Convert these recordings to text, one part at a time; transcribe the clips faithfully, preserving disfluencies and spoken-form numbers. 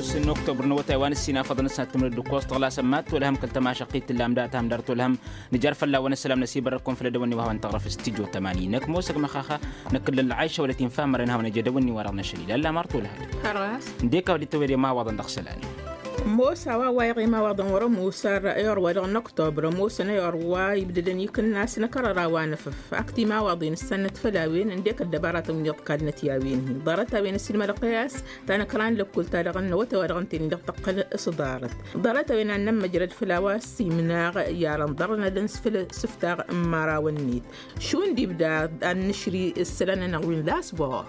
N-oktobăr n-awătay wa n-ǝssin afăḍăn ǝssan ad-tǝmrǝd d-ǝkkoẓ tăɣlasăn mad-tolhăm kăl-tămašăqqit tǝllam dat-ham dar tolhăm. Nǝjar fălla-wen ăssălam n-asibărrăkun făll-edăwănni wa hawăn-tăɣrăf s-tijo tămani năkk mosăg măxaxa. Năkk ǝllăn lăɣayša wălăt infa ămărăn hawăn-ăj edăwănni wa dăɣ-năšăl ilalla martolhăm. Ăndek a-wa dd-tăwed imawaḍăn dăɣ-isălan. Mosa wa wa iɣ imawaḍăn wăr-ămoos ar i-orwa dăɣ-năktobr ămoosăn i-orwa ibdădăn ikǝnnas n-akărăra wa n-efăf. Ak timawaḍen ǝssannăt făll-a-wen ǝndek ăddăbaratăn wi iḍkalnăt i-a-wen-hi ḍarăt-a-wen ăsilmădăɣ tăyas. Ta n-ăkran lăkkul ta dăɣ-năwătay wa dăɣ-ǝnta-en-in dăɣ-tăqqăl s-ḍarăt. Ḍarăt-a-wen ad-nămmăjrăd făll-a-wa ăssiimnaɣ i-ad-ănḍărnădăn s-făl sǝftaɣ n-imărawăn-net. Šund ibda ad-nǝšri ǝssălan-nănăɣ wi n-lasbor.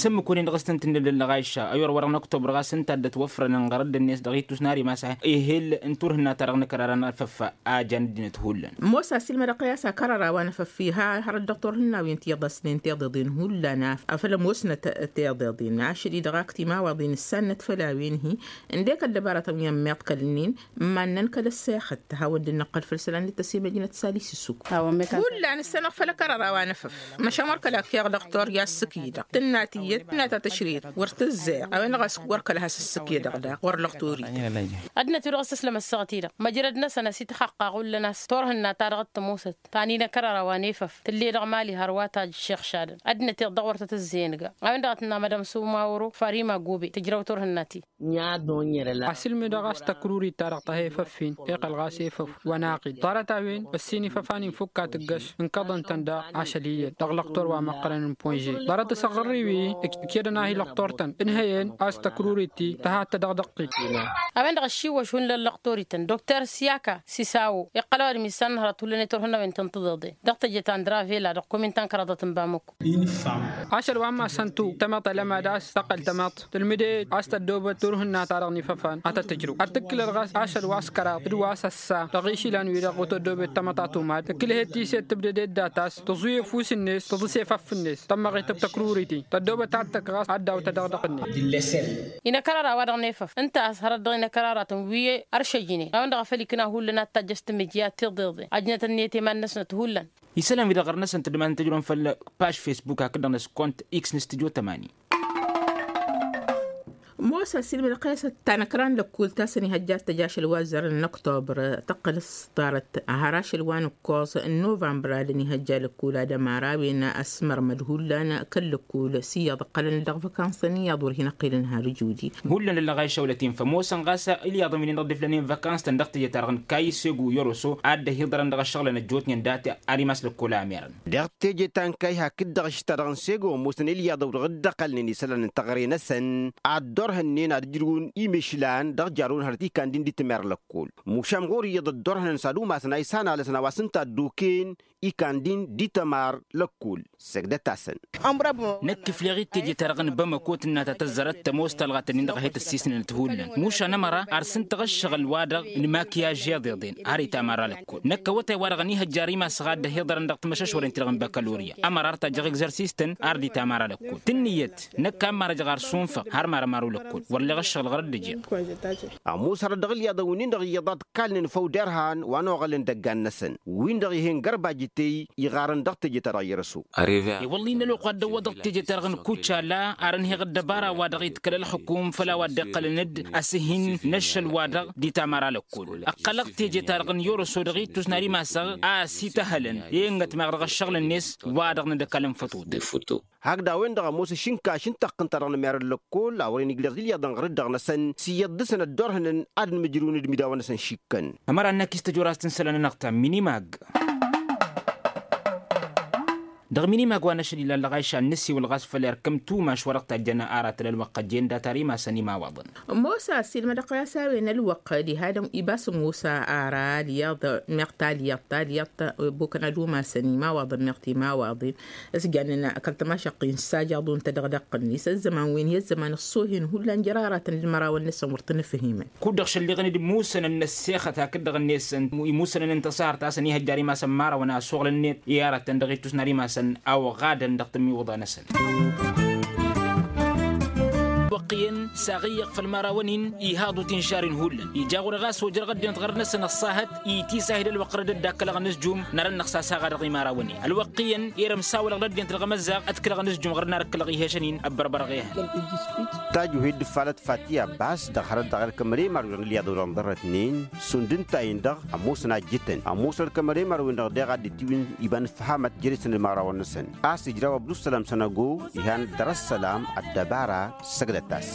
S-ǝmmǝk-wen-in dăɣ-s tăn-tǝnnǝllǝl năɣayša ăyor wa dăɣ-năktobr ɣas ǝnta a dd-ătwăfrănăn ɣărădd-net dăɣ-ittus n-ar imas ehel n-turhǝnna-ta-dăɣ n-akărara n-efăf. A jan ăddinăt hullan. Ămoos a-s ilmădăɣ i-a-s akărăra wa n-efăf iha hărăt dăɣ-turhǝnna-wen tiḍăsnen tiḍeḍen hullan. Afăl ămoosnăt tiḍeḍen ašăl-i-dăɣ ak timawaḍen ǝssannăt făll-a-wen-hi. Ǝndek ăddăbaratăn wi ămmiḍkălnen. Mannăn kăl-ăssexăt hawăn-dd-năqqăl făll-isălan d-tăsimăjnăt sali s-ǝssuk. Hullan ǝssanăɣ făll-ăkărăra wa n-efăf. Măšan wăr kăla keɣ dăɣ-tor i-assǝk-i-dăɣ tǝnna tiyyăt tǝnna ta tăšret. Wăr tǝzzăyăɣ a-wen-dăɣ a-s wăr kăla has-ǝssǝk-i-dăɣ daɣ wăr lăɣ tori. Ăddinăt-wi-dăɣ s-ǝslăm ăssaɣăt-i-dăɣ măjrăd-năsăn ăsitxăqqa ɣullăn a-s turhǝnna-ta-dăɣ t-ămoosăt. Tanin ăkărăra wa n-efăf tǝll'-e-dăɣ mali hărwa ta ăššexšadăn. Ăddinăt-i-dăɣ wăr tăt-ǝzzeyăn ga a-wen-dăɣ a tǝnna madam sumawro farima gobe tǝjrăw turhǝnna-ti. Asǝlmǝdăɣ a-s tăkrurit-ta-dăɣ tăha efăf-in iqqăl ɣas efăf. Wănaɣ-dd ḍarăt-a-wen ăssin ifăfan-in fukk a tǝggăš ǝnkăḍăn-tăn daɣ ašăl iyyăt dăɣ-lăqtor wa măqqărăn n-ponže. Ḍarăt asăɣrǝr-i-wi ǝkyădăn a hi-lăqtor-tăn ǝnhăyăn a-s tăkruri-ti tăhat-tădăɣ dăɣ-t-dd. A-wen-dăɣ ăššiwwăš hullan lăqtor-ităn dokter siyaka sisawo iqqăl ăwadǝm issan n-hărăt hullan i-turhǝnna-wen tăn-tǝḍeḍen dăɣ-teje ta n-dravela dăɣ-komin ta n-kăraḍăt n-bamăko. Ašăl wa n-masăn-tu tămăḍt ălămad a-s tăqqăl tămăḍt tǝlmǝd-e a-s tăddoobăt turhǝnna-ta-dăɣ n-ifăfan ad-tăt-tǝjrǝw ad-tǝkkǝlăd ɣas ašăl wa s-kăraḍ d-wa s-ăssa dăɣ-išilan-wi-dăɣ otăddoobet tămăḍt a tumad tǝkkǝlhet-i s-e tǝbdăd eddat a-s tǝẓuy efus-net tǝḍǝs efăf-net tămmăɣet d-tăkruri-ti tăddoobăt ad-tăkk ɣas ad-daw-tădăɣdăɣ-net. Inăkărăra-wa-dăɣ n-efăf ǝnta a-s hărăt dăɣ-inăkărăratăn wi ăršăjnen a-wen-dăɣ a făl ikna hullan ad-tajjăš timǝjja tiḍeḍen ajnăt-net iman-năsnăt hullan. Isălan-wi-dăɣ ɣur-năsăn tǝddǝman tǝjrǝwăn făll-paž fesbuk hakd-dăɣ n-ăskont iks n-stujo tămani. Mosa silmǝd ăqqes ăttan ăkran lăkkul ta s-ănihăjja ad-tăj ašăl wa ăzzarăn n-ăktobăr tăqqăl s-ḍarăt har ašăl wa n-ǝkkoẓ n-novămbăr ad-ănihăjja lăkkul ad-ămăra a-wen ăsmărmăd hullan kăl-lăkkul s-iyyăḍ ǝqqălăn-dd dăɣ-văkansăn iyyăḍ wăr hin-ăqqilăn har ǝjudi. Hullan ǝllăɣ a išăwlăt-in fămoosăn ɣas ǝlyaḍăn wi-nin-dăɣ dd-iflănen văkans-tăn dăɣ-teje-ta-dăɣ n-kayy segu yăroso ad-dd-ăhiḍărăn dăɣ-ăššăɣǝlăn ăjjootnen dat-i ar imas lăkkol a merăn. Dăɣ-teje ta n-kayy hakd-dăɣ ašta-dăɣ n-segu ămoosăn ǝlyaḍăw dăɣ-dd-ăqqălnen isălan n-teɣăre-năsăn ad-dd-orhănnen ad-ǝjrǝwăn imešlan dăɣ-jarun hărăt ikan-din d-itmer lăkkol. Mušam ɣur-iyyăḍ ăddorhănăn s-ad-umasăn a isanalăsăn a-wa s-ǝnta a dd-oken ikan-din d-itămar lăkkol. Săgdăt-asăn. Năkk ifleɣ-dd teje-ta-dăɣ n-bamăko tǝnna ta tăzzărăt tămoos talɣat-nin-dăɣ a he-tăssisnănăt hullan mušan ămăra ar s-ǝntăɣ ǝššăɣǝl-wa-dăɣ n-makiyaž iḍeḍen har itamar alăkkol năkk awătay-wa-dăɣ ănihăjja ar imasăɣ a dd-ăhiḍărăn dăɣ-timăšăšwăren-ti-dăɣ n-bakaloria ămăra ar tajjăɣ egzărsist-tăn ar d-itamar alăkkol tǝnnǝyăt năkk a ǝmmarăjăɣ ar sunfăɣ har marămaru lăkkol wăr leɣ ǝššăɣǝl ɣur-dd ǝjjeɣ. Ămoos hărăt dăɣ-ǝlyaḍăn wi-nin-dăɣ iyyăḍ ad-kalnen făw derhan wa n-oɣălăn dăggan-năsăn wi-nin-dăɣ ih'-en gărbajǝtey iɣarăn dăɣ-teje-ta-dăɣ i-erăso. I-wălla-i n-ălwăqq wa dd-ăwwăḍăɣ teje-ta-dăɣ n-kucala ar ănheɣ ăddăbara-wa-dăɣ iḍkăl ălxǝkum făll-a-wa dd-iqqălăn d-asǝhin n-ašăl-wa-dăɣ d-itamar alăkkol ăqqălăɣ teje-ta-dăɣ n-i-orăso dăɣ-ittus n-ad-imasăɣ a ăsităhălăn i-inătmeɣ dăɣ-ăššăɣǝl-net wa-dăɣ n-ad-ăkall n-fătutu. Hakd a-wen-dăɣ ămoos ašǝnkaš n-taqqǝnt-ta-dăɣ n-merăn lăkkol a wăren ǝjleɣ d-ǝlyaḍăn ɣur-dd-dăɣ-năsăn s-iyyăḍ dăɣ-săn ăddorhănăn ad-ǝnmǝjrǝwăn d-imidawen-năsăn šikkăn. Ămăra n-ak-istăjor a-s tǝnsălăn-anăɣ ta minimag. Dăɣ-minimag wa n-ašăl ilalăɣ a išan n-ǝssiwǝl ɣas făll-erk ǝmtumaš wa dăɣ-tajjăn aratăn ălwăqq ăjjeen dat-ar imasăn imawaḍăn. Mosa silmădăɣ-t a-s a-wen ălwăqq diha-dăn ibas musa ara alyaḍ meɣ talyaḍt talyaḍt. Bukăn ad-umasăn imawaḍăn meɣ timawaḍin s-jannen kăl-tămašăqqin s-ajaḍun tădăɣdăɣ-net ăzzăman wen i-ăzzăman ăṣṣohen hullan jer-aratăn d-imărawăn-năsăn wăr tăn-ǝfhimăn. Kud-dăɣ šălliɣăn-dd musănăn n-ăssexăt hakd-dăɣ-net musănăn n-tasăhărt a-s ănihăjjar imasăn imărawăn a ăsoɣlăn-net i-aratăn dăɣ-ittus n-ad-imasăn a oɣadăn dăɣ-tămiwǝḍa-năsăn. Wăqq iyyăn saɣ iyyăɣ făll-imărawăn-in ihaḍu tinšar-in hullan ija ɣur-e ɣas ojrăɣ ăddinăt ɣărăn-năsăn ăṣṣahăt itisahid ălwăqq rădd ăddakkălăɣ anǝzjum n-arănnăɣ s-asaɣa dăɣ-imărawăn-in ălwăqq iyyăn irăm s-awălăɣ d-ăddinăt dăɣ-emăzzaɣ ădkǝlăɣ anǝzjum ɣur-nar ǝkkǝlăɣ ihăšăn-in. Ăbbărbărăɣ ehăn. Tajuhed d-falăt fati abbas dăɣ-hărăt dăɣ-erk ămăre marwen ɣǝlyaḍ wăr-ănḍărrătnen sund ǝnta-en-dăɣ ămoosăn a ǝjjǝtăn ămoosăn erk ămăre marwen-dăɣ deɣ ad-dd-tiwǝn iba n-ǝfhamat jere-săn d-imărawăn-năsăn a-s ǝjraw abdusălam sănăgo. Ihan dăr-ăssălam ăddăbara săgdăt-as.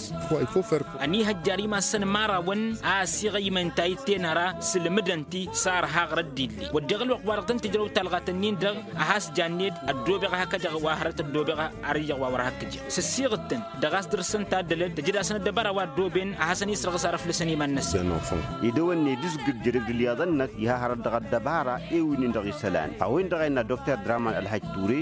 Ănihăjjar imassăn imărawăn a ăsiɣăymăn tayǝtte n-ara sǝlmǝdăn-ti s-arha ɣur-ăddille wădden ălwăqq wa dăɣ-tăn-tǝjrăw talɣat-ǝnnin-dăɣ a has janned ăddoobeɣ a hak-ăjăɣ wa hărăt ăddoobeɣ. Ar iyyăɣ wa wăr hakk ǝjăɣ sǝssiɣǝd-tăn dăɣ-a-s dăr-săn taddălăt tǝjǝd-asăn ăddăbăra wa ăddooben a hasăn-isrăɣǝs ar ăflăsăn iman-năsăn. Edăwănne d-ǝzgǝl jere-dd ǝlyaḍăn-năk iha hărăt dăɣ-ăddăbara i-wi-nin-dăɣ isălan a-wen-dăɣ a innă dokter draman ălhăjj ture.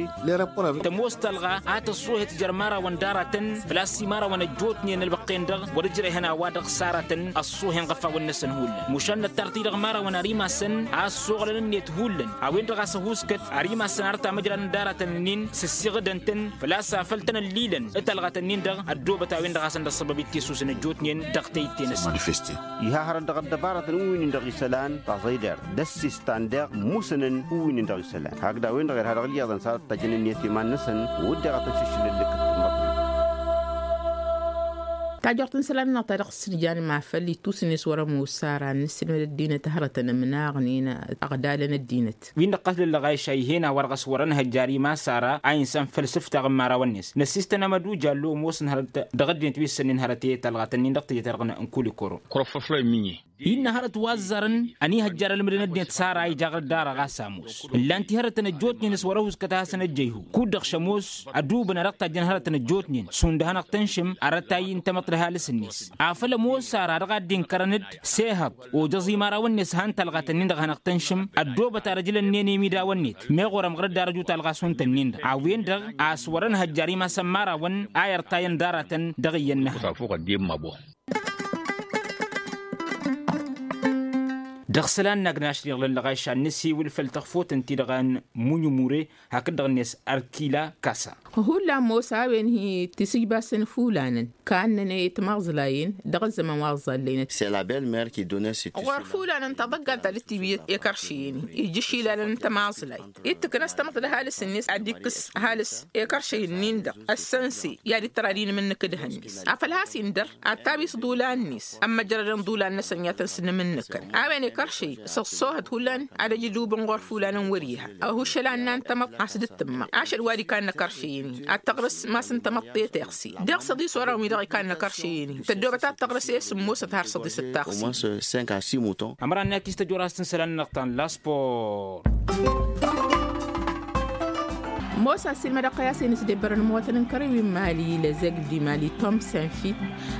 Tămoos talɣa a tăṣṣoohet jer-imărawăn d-aratăn făl-a-s imărawăn ăjjootnen ălwăqq-en-dăɣ wăr-ǝjrehăn a-wa-dăɣ s-aratăn ăṣṣoohen ɣăfawăn-năsăn hullan mušan năttarăt-i dăɣ-imărawăn ar imassăn a ăssoɣlăn-net hullan a-wen-dăɣ a-s ăhuuskăt ar imassăn ar tamăjradăn d-aratăn-nin s-ǝssiɣǝdăn-tăn făl-a-s afăl tăn-ăllilăn d-talɣat-nin-dăɣ ăddoobăt a-wen-dăɣ a hasăn-dd-ăṣṣăbăb ittisusăn ăjjootnen dăɣ-teyte-năsăn. Iha hărăt dăɣ-ăddăbarătăn wi-nin-dăɣ isălan taẓăydert d-ăssistan deɣ musănăn wi-nin-dăɣ isălan hakd a-wen-dăɣ irha dăɣ-ǝlyaḍăn s-ad-ăttajăn ǝnniyăt iman-năsăn. Wădden ad-tăn-šǝššǝlăn lǝkkǝt tǝmmăḍrit. Tajort n-isălan-nănăɣ ta dăɣ-s tǝnjan ma făl ittusǝn-net wăr-ămoos ara n-nǝssǝlmăd ăddinăt hărătăn ǝmnaɣnen ăɣdalăn ăddinăt. Wi n-năqqăs lăllăɣayša ih'-en a-wa-dăɣ a-s wăr-ănhăjjar imas ara a insăn făll-sǝftaɣ n-imărawăn-net năssistăn amăduj allo ămoosăn hărăt dăɣ-ăddinăt wi s-sănnen hărăt i-talɣatăn-in dăɣ-teje-ta-dăɣ n-kulikoro. Innă hărăt wa ăzzarăn ănihăjjar ălmǝdăn ăddinăt s-ara ija ɣǝr-dd ara ɣas ămoos ǝllan-t i-hărătăn ăjjootnen s-wăr-ăhuskăt a hasăn-ăjjăyhu kud-dăɣ šămoos ădubǝn a dăɣ-tajjăn hărătăn ăjjootnen šund ad-hanăɣ-tăn-šǝm arătay n-tamăḍt d-ăhalǝs-net afăl ămoos ara dăɣ-ad-dd-inkărăn-dd s-ehăḍ ojăẓ imărawăn-net han talɣat-nin-dăɣ hanăɣ-tăn-šǝm. Ăddoobăt ar ăjlănnen i-imidawăn-net meɣ orăm ɣur-dd ar ăju talɣa šund-tăn-nin-dăɣ a-wen-dăɣ a-s wăr-ănhăjjar imass ămmarawăn a irtayăn d-aratăn dăɣ-iyyăn n-ehăn. Dăɣ-isălan n-agnaš-nănăɣ lăllăɣayša n-nǝsiwǝl făll-tăxfot ǝnta-i-dăɣ a n-munyumure hakd-dăɣ-net arkila kasa. Hullan ămoos a-wen hi-tisǝjbasăn ifulanăn kannăn i-timaẓlayen dăɣ-ăzzăman wa ăẓẓallayăn. Ɣur-fulanăn taḍăggan ta dd-tiwǝy i-kăršiyăn-i ija išilalăn n-tamaẓlayt ittǝknăs tamăḍt d-ăhalǝs-net ad-dd-ikkǝs ăhalǝs i-kăršăy-nin-dăɣ ăssănse i-ad-ittăr ad-inmǝnnǝk d-hănnis afăl has-indăr ad-tawi s-iḍulan-net ămmăjrădăn iḍulan-năsăn i-ad-tăn-sǝnnǝmǝnnǝkăn. A-wen i-kăršăy s-ăṣṣoohăt hullan ad-ăj idubǝn ɣur-fulanăn wăr-iha ăhušăl anna n-tamăḍt a-s dd-tǝmmăɣ ašăl wa d-ikannă kăršăy-in-i ad-tăɣrǝs mass n-tamăḍt i-teɣse. Deɣ s-ăḍis orăwăn wi-dăɣ ikannă kăršăy-in-i tăddoobăt ad-tăɣrǝs i-sǝmmosăt har s-ăḍisăt taɣse. Ămăra n-akis tăjorăst n-isălan-nănăɣ ta n-laspor. Ămoos a ăssiilmădăɣ kăy-a-s hin-ǝsdebbărăn ămwatăn n-kărăy wi n-imali lăzeg d-imali tom senfit.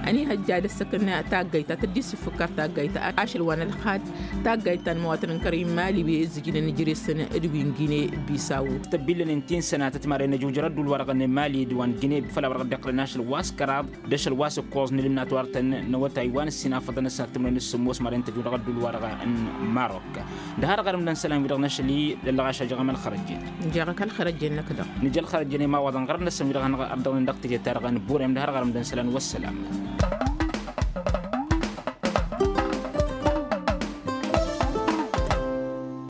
Ăniihăjja ad-ăssăkăn taggayt ta tăddi s-ǝffǝkkar taggayt ašăl wa n-ălxad taggayt ta n-ămwatăn n-kărăy n-imali wi ǝzzǝjnen ijres-săn d-wi n-gine. Bisawu. Tăbbillănen ti n-sănatăt maren ăjujăr ădduul-wa-dăɣ n-imali d-wa n-gine făll-a-wa dăɣ-dd-iqqălăn ašăl wa s-kăraḍ d-ašăl wa s-ǝkkoẓ n-ǝlǝmnat wa dăɣ-tăn n-awătay wa n-ǝssin afăḍăn ăssanăt tǝmren s-sǝmmos maren tăjudăɣ ădduul-wa-dăɣ n-marok. D-ha-dăɣ ărǝmdăn isălan-wi-dăɣ n-ašăl-i lăllăɣaš a jăɣăm ălxărăjjen. Jăɣăk ălxărăjjen-năk-dăɣ. Nǝja ălxărăjjen i-imawaḍăn ɣărăn-năsăn wi-dăɣ hanăɣ-ărdăɣnen dăɣ-teje-ta-dăɣ n-burem d-ha-dăɣ ărǝmdăn isălan wa ăssălam.